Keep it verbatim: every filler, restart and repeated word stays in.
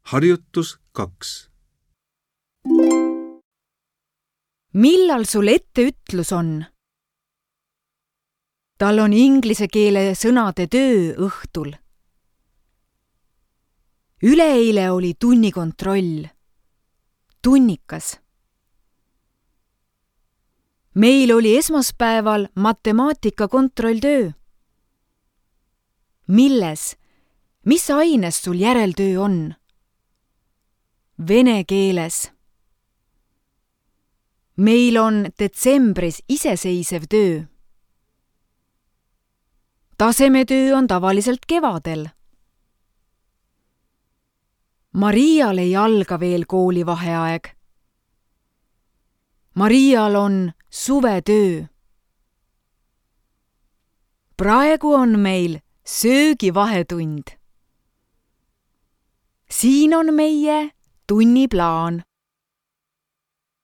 Harjutus kaks. Millal sul etteütlus on? Tal on inglise keele sõnade töö õhtul. Üleeile oli tunnikontroll. Tunnikas. Meil oli esmaspäeval matemaatika kontrolltöö. Milles? Mis aines sul järeltöö on? Vene keeles. Meil on detsembris iseseisev töö. Tasemetöö on tavaliselt kevadel. Marial ei alga veel koolivaheaeg. Marial on suvetöö. Praegu on meil söögivahetund. Siin on meie tunniplaan.